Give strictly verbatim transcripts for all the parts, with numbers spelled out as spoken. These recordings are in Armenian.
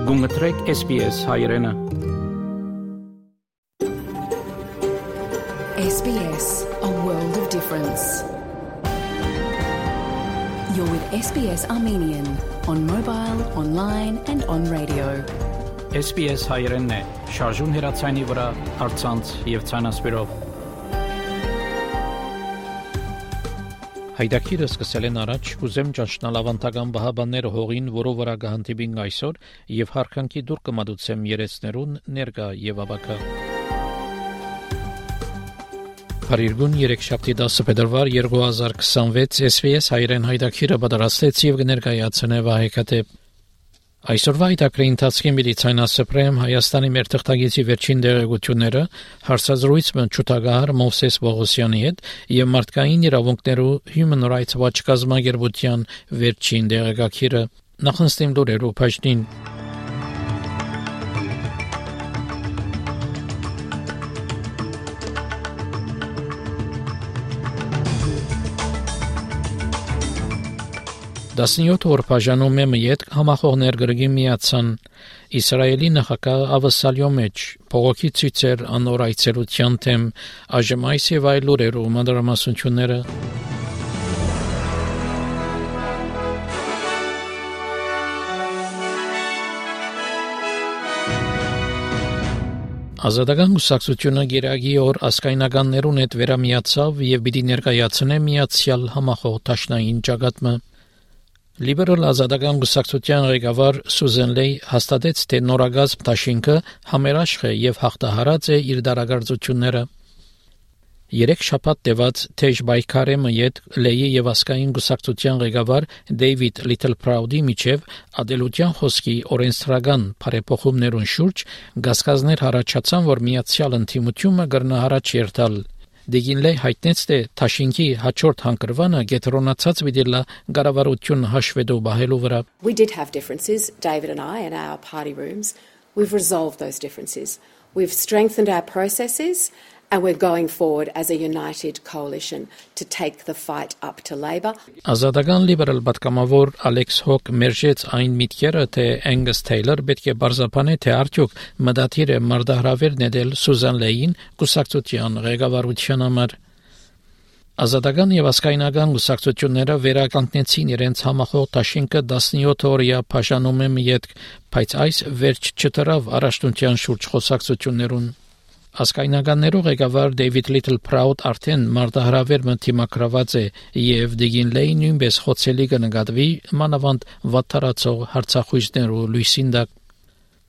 Գումտրեք S B S հայրենը։ S B S, a world of difference. You're with S B S Armenian on mobile, online and on radio. S B S հայրենն է, շարժուն հեռացայինի վրա, առցանց եւ ցանասպիրով։ Հայդակիրը սկսել են առաջ, ուզեմ ճանչնալ ավանդական բահաբանները հողին, որով վրա գահանտիբին այսօր, եւ հարկանքի դուր կմադուցեմ երեցներուն ներկա եւ ավակա։ Փարիգուն երեքշաբթի դասը փետրվար երկու հազար քսանվեց S B S հայրեն հայդակիրը պատրաստեց եւ կներկայացնե Վահեկատե։ Այսօրվա հայդակրի ընթացքի միլիցայնասպրեմ Հայաստանի մեր թղթագիտի վերջին դերակցությունները հարցազրույցը Չուտագահար Մովսես Բողոսյանի հետ եւ մարդկային իրավունքներու Human Rights Watch կազմակերպության վերջին դերակցիրը նախնստին լուրերու բաժնին դասնյոթ օր բաժանում է մեկ համախոհներ գրգի միացան Իսրայելի նախագահ ավսալյո մեջ փողոքի ցույցեր անոր այցելության թեմ այժմ այս եւ այլ լուրերու մանրամասնությունները Ազատական կուսակցությունը գերագի օր ասկայնականներուն հետ վերամիացավ եւ պիտի ներկայացնե միացյալ համախոհ տաշնային ճակատը Liberal ազատական կուսակցության ղեկավար Սուզեն Լեյ հաստատեց, թե նորագազմ դաշինքը համերաշխ է եւ հաղթահարած է իր դարակարծությունները։ Երեք շաբաթ տևած թեժ բայկարը մյետ Լեյի եւ ասկային կուսակցության ղեկավար Դեյվիդ Լիթլփրաուդի միջև ադելության խոսքի օրենսդրական բարեփոխումներուն շուրջ գասկազներ առաջացան, որ միացյալ ընդդիմությունը կրնա առաջ երթալ։ Դեգինլե հայտնեց, թե Թաշինքի հաջորդ հանգրվանը գետրոնացած վիդելա գարավարություն հաշվետու բահելու վրա։ We did have differences, David and I, in our party rooms. We've resolved those differences. We've strengthened our processes and we're going forward as a united coalition to take the fight up to Labour. Ազատական լիբերալ պատգամավոր Ալեքս Հոկ մերժեց այն միտքերը, թե Angus Taylor պետք է բարձրապանե, թե արդյոք մտադիր է մարտահրավեր ներել Սուզան Լեյին կուսակցության ղեկավարության համար։ Ազատական եւ ասկայնական կուսակցությունները վերականգնեցին իրենց համախոհ դաշինքը տասնյոթ օրյա բաժանում է մեկ, բայց այս վերջ չտրավ առաջնության շուրջ խոսակցություններուն։ Ասկայնականներու ղեկավար Դեյվիդ Լիթլփրաուդ արդեն մարտահրավեր մտիմակրված է եւ Դեգինլեյ նույնպես խոցելի կնկատվի մանավանդ վատթարացող հարցախույզներու լույսին տակ։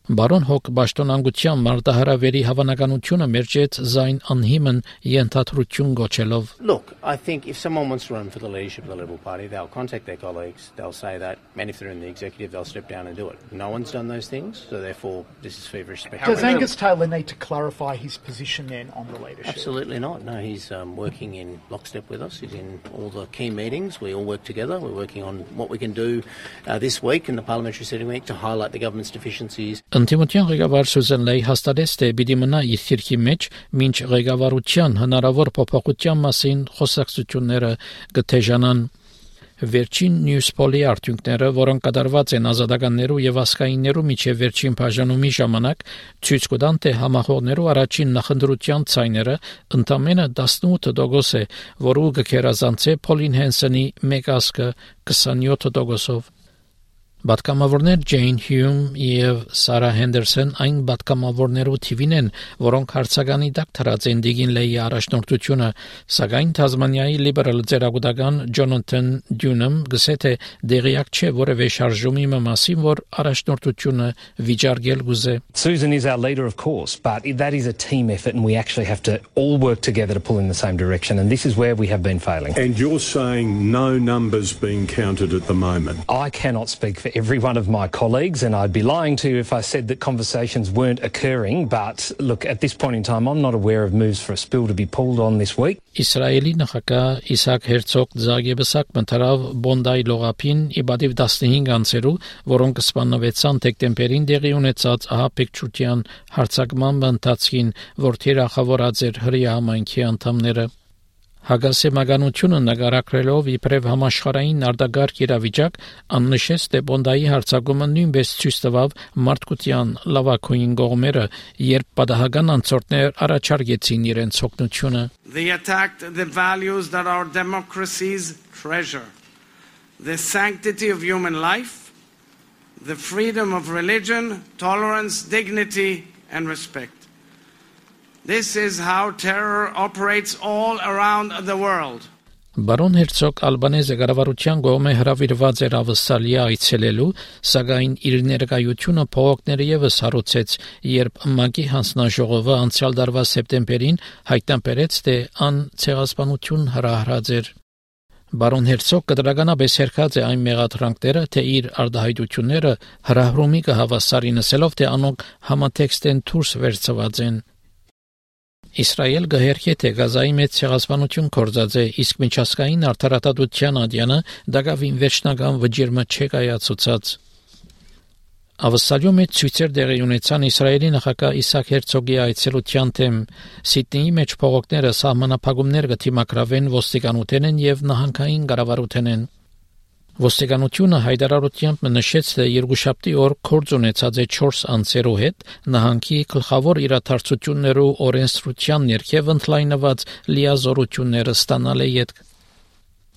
Բարոն Հոկ Բաշտոնանկության մարտահրավերի հավանականությունը մերժեց զայն անհիմն ենթադրություն գոչելով։ Look, I think if someone wants to run for the leadership of the Liberal Party, they'll contact their colleagues, they'll say that, and if they're in the executive, they'll step down and do it. No one's done those things, so therefore this is feverish speculation. Does Angus Taylor need to clarify his position then on the leadership? Absolutely not. No, he's um, working in lockstep with us. He's in all the key meetings. We all work together. We're working on what we can do uh, this week in the parliamentary sitting week to highlight the government's deficiencies. Ընդդիմության ղեկավար Սուզան Լեյ հաստատեց, թե պիտի մնա իր թիրքի մեջ, մինչ ղեկավարության հնարավոր փոփոխության մասին խոսակցությունները կթեժանան։ Վերջին Newspol-ի արդյունքները, որոնք կատարված են ազատականներու եւ ասկայիններու միջև վերջին բաժանումի ժամանակ, ցույց կտան, թե համախոհներու առաջին նախընտրության ցայները ընդամենը տասնութ տոկոս է, որը կգերազանցե Փոլին Հենսոնի մեկ ասկը քսանյոթ տոկոսով։ Պատգամավորներ Ջեյն Հյում եւ Սարա Հենդերսոն այն պատգամավորներու թիվին են, որոնք հարցականի տակ թրած են Դիգինլեյի առաջնորդությունը, սակայն Թազմանիայի լիբերալ ձերագուտական Ջոնաթան Դյունեմ գսե թե դեղյակ չէ որևէ շարժումի մասին, որ առաջնորդությունը վիճարկել գուզե։ Susan is our leader, of course, but that is a team effort and we actually have to all work together to pull in the same direction, and this is where we have been failing. And you're saying no numbers being counted at the moment? I cannot speak for every one of my colleagues, and I'd be lying to you if I said that conversations weren't occurring, but look, at this point in time, I'm not aware of moves for a spill to be pulled on this week. Իսրայելի նախագահ Իսահակ Հերցոգ Զագեբսակ մտարավ Բոնդայի լողափին իբադիվ տասնհինգ անձերու, որոնք սպանվեցան դեկտեմբերին տեղի ունեցած Հագասի մագանությունը նկարագրելով իբրև համաշխարհային արտագաղթ իրավիճակ աննշեց, թե Բոնդայի հարձակումը նույնպես ցույց տվավ մարդկության լավագույն կողմերը, երբ պատահական անցորդներ առաջարկեցին իրենց օգնությունը. They attacked the values that our democracies treasure. The sanctity of human life, the freedom of religion, tolerance, dignity and respect. This is how terror operates all around the world. Բարոն Հերցոգ Ալբանեզը կառավարության կողմէ հրավիրված էր Ավստրալիա այցելելու, սակայն իր ներկայությունը փողոքները եւս հարուցեց, երբ ՄԱԿ-ի հանձնաժողովը անցյալ տարվա սեպտեմբերին հայտնաբերեց, թե ան ցեղասպանություն հրահրած էր. Բարոն Հերցոգ կտրականապես հերքած է այն մեղադրանքները, թե իր արտահայտությունները հրահրումի կհավասարի նսելով, թե անոնք համատեքստեն դուրս վերցված են. Իսրայել գահերքի թե Գազայի մեծ ցեղասպանություն կործած է, իսկ միջազգային արդարադատության ադյանը դակավին վերջնական վճիռը չէ կայացուցած. Ավստրալիայում մեծ ցույցեր տեղի ունեցան Իսրայելի նախագահ Իսահակ Հերցոգի այցելության թեմ. Սիդնեի մեջ փողոքները սահմանափակումներ կդիմակրավեն ոստիկանութենեն եւ նահանգային կառավարութենեն. Ոստիկանությունը հայտարարությամբ նշեց, թե երկուշաբթի օր գործ ունեցած է չորս անձերու հետ նահանգի գլխավոր իրադարձություններու օրենսդրության ներքև ընդլայնված լիազորությունները ստանալ է յետք.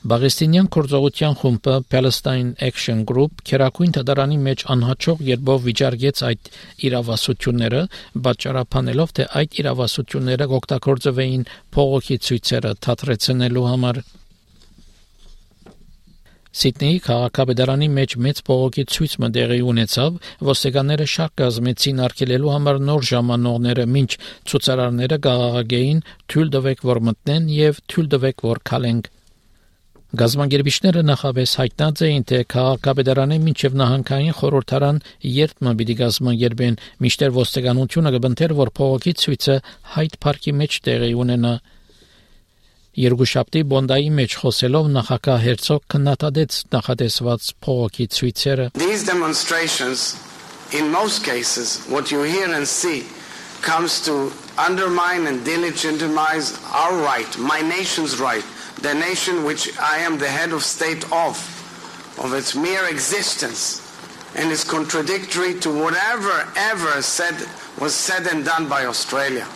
Բաղեստինյան գործողության խումբը Palestine Action Group քերակույն դատարանի մեջ անհաջող երբով վիճարկեց այդ իրավասությունները, պատճառաբանելով, թե այդ իրավասությունները օգտագործվեին փողոքի ցույցերը թատրեցնելու համար. Սիդնեի քաղաքապետարանի մեջ մեծ փողոքի ցույցը տեղի ունեցավ, ոստիկանները շարք կազմեցին արգելելու համար նոր ժամանողները, մինչ ցուցարարները գաղաղագեին թույլ տվեք, որ մտնեն եւ թույլ տվեք, որ քալենք. Գազագերբիչները նախապես հայտնած էին, թե քաղաքապետարանի մինչև նահանգային խորհրդարան երբ մը պիտի գազագերբեն, մինչդեռ ոստիկանությունը կբնթեր, որ փողոքի ցույցը Հայդ Փարքի մեջ տեղի ունենա. Երկուշաբթի Բոնդայի մեջ խոսելով նախագահ Հերցոգ քննադատեց նախատեսված փողոքի ցույցերը. These demonstrations, in most cases, what you hear and see comes to undermine and delegitimize our right, my nation's right, the nation which I am the head of state of, of its mere existence, and is contradictory to whatever ever said was said and done by Australia.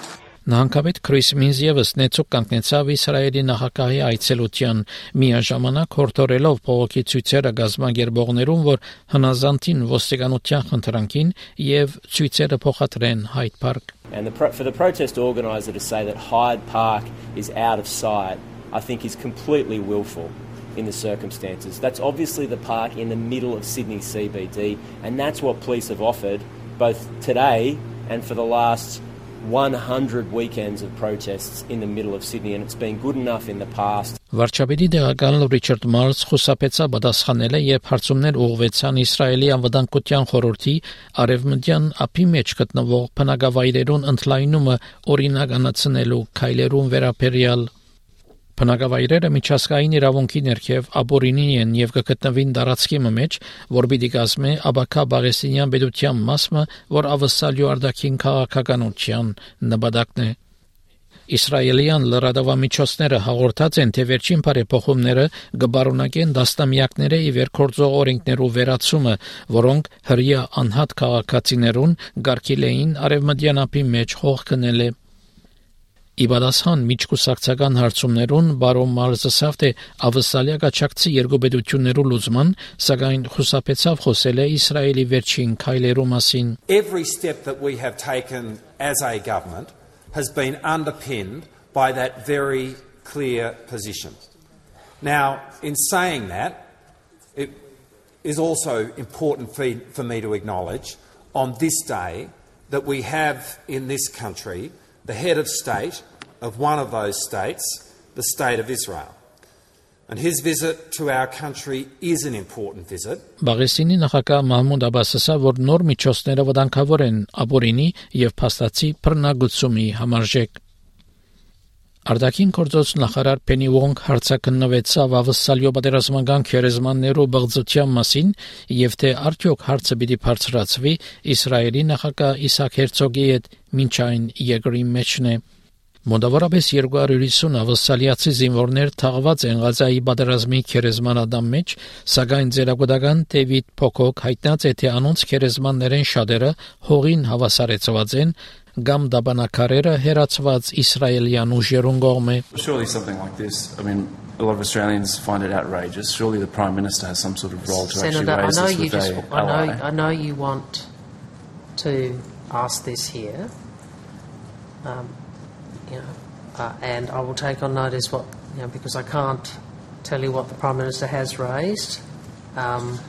Նահանգապետ Քրիս Մինզ ևս նեցուկ կանգնեցավ Իսրայելի նախագահի այցելության, միաժամանակ հորդորելով փողոքի ցույցերը գազագերբողներուն, որ հնազանդին ոստիկանության խնդրանքին եւ ցույցերը փոխադրեն Hyde Park. And the pro- for the protest organiser to say that Hyde Park is out of sight, I think is completely willful in the circumstances. That's obviously the park in the middle of Sydney C B D, and that's what police have offered both today and for the last one hundred weekends of protests in the middle of Sydney, and it's been good enough in the past. Վարչապետի դեղական Ռիչարդ Մարլս խուսափեցավ պատասխանել, երբ հարցումներ ուղղվեցան Իսրայելի անվտանգության խորհրդի արևմտյան ափի մեջ գտնվող բնակավայրերուն ընդլայնումը օրինականացնելու քայլերուն վերաբերյալ. Բնակավայրերը միջազգային իրավունքի ներքև ապօրինի են եւ կգտնվին տարածքի մեջ, որ պիտի կազմի աբակա բաղեստինյան պետության մասը, որ ավսալյու արտաքին քաղաքականության նպատակն է. Իսրայելյան լրատվամիջոցները հաղորդած են, թե վերջին բարեփոխումները կբարունակեն դաստամյակների ի վեր գործող օրենքներու վերացումը, որոնք հրյա անհատ քաղաքացիներուն գարկիլեին արևմտյան ափի մեջ հող կնել է. Իբադասхан միջկուսակցական հարցումներուն բարոն Մարլսը ասավ, թե Ավստրալիա կաչակցի երկու պետություններու լուծման, սակայն խուսափեցավ խոսել է Իսրայելի վերջին քայլերու մասին. Every step that we have taken as a government has been underpinned by that very clear position. Now, in saying that, it is also important for, for me to acknowledge on this day that we have in this country the head of state of one of those states, the state of Israel. And his visit to our country is an important visit. Բաղեստինի նախագահ Մահմուդ Աբասը ասավ, որ նոր միջոցները վտանգավոր են ապօրինի եւ փաստացի բռնագծումի համարժեք. Արտաքին գործոց նախարար Փենի Ուոնգ հարցակնվեցավ Ավստրալիո պատերազմական քերեզմաններու բղծության մասին եւ թե արդյոք հարցը պիտի բարձրացվի Իսրայելի նախագահ Իսահակ Հերցոգի հետ մինչ այն երկրի մեջն է. Մոտավորապես երկու հարյուր հիսուն ավստրալիացի զինվորներ թաղված են Ղազայի պատերազմի քերեզմանադամ մեջ, սակայն ձերագուտական Դեվիդ Փոքոք հայտնած է, թե անոնց քերեզմաններեն շատերը հողին հավասարեցված են կամ դաբանակարերը հերացված իսրայելյան ուժերուն կողմէ. Surely something like this, I mean, a lot of Australians find it outrageous. Surely the Prime Minister has some sort of role to Senator, actually raise I know this you with just, a I know, ally. I know you want to ask this here, um, you know, uh, and I will take on notice what, you know, because I can't tell you what the Prime Minister has raised, um,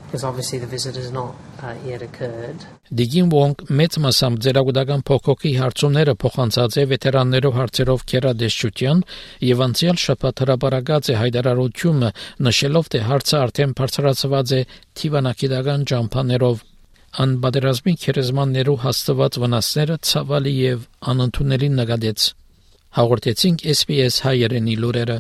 because obviously the visit has not uh, yet occurred. Դիգին Վոնգ մեծ մասամբ ձերագուտական փոքոքի հարցումները փոխանցած է վետերաններով հարցերով քերադեսչության եւ անցյալ շաբաթ հրապարակած է հայտարարությունը, նշելով, թե հարցը արդեն բարձրացված է թիվանակիդական ջամփաներով. Ան պատերազմի քերեզմաններու հաստատված վնասները ցավալի եւ անընդունելի նկատեց. Հաղորդեցինք S B S հայերենի լուրերը.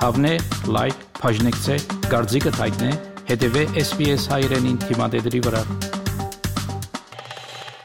Հավնե, լայք, բաժնեկցե, դարձիկը թայտնե, հետևե S B S հայերենին թիմադեդրի վրա.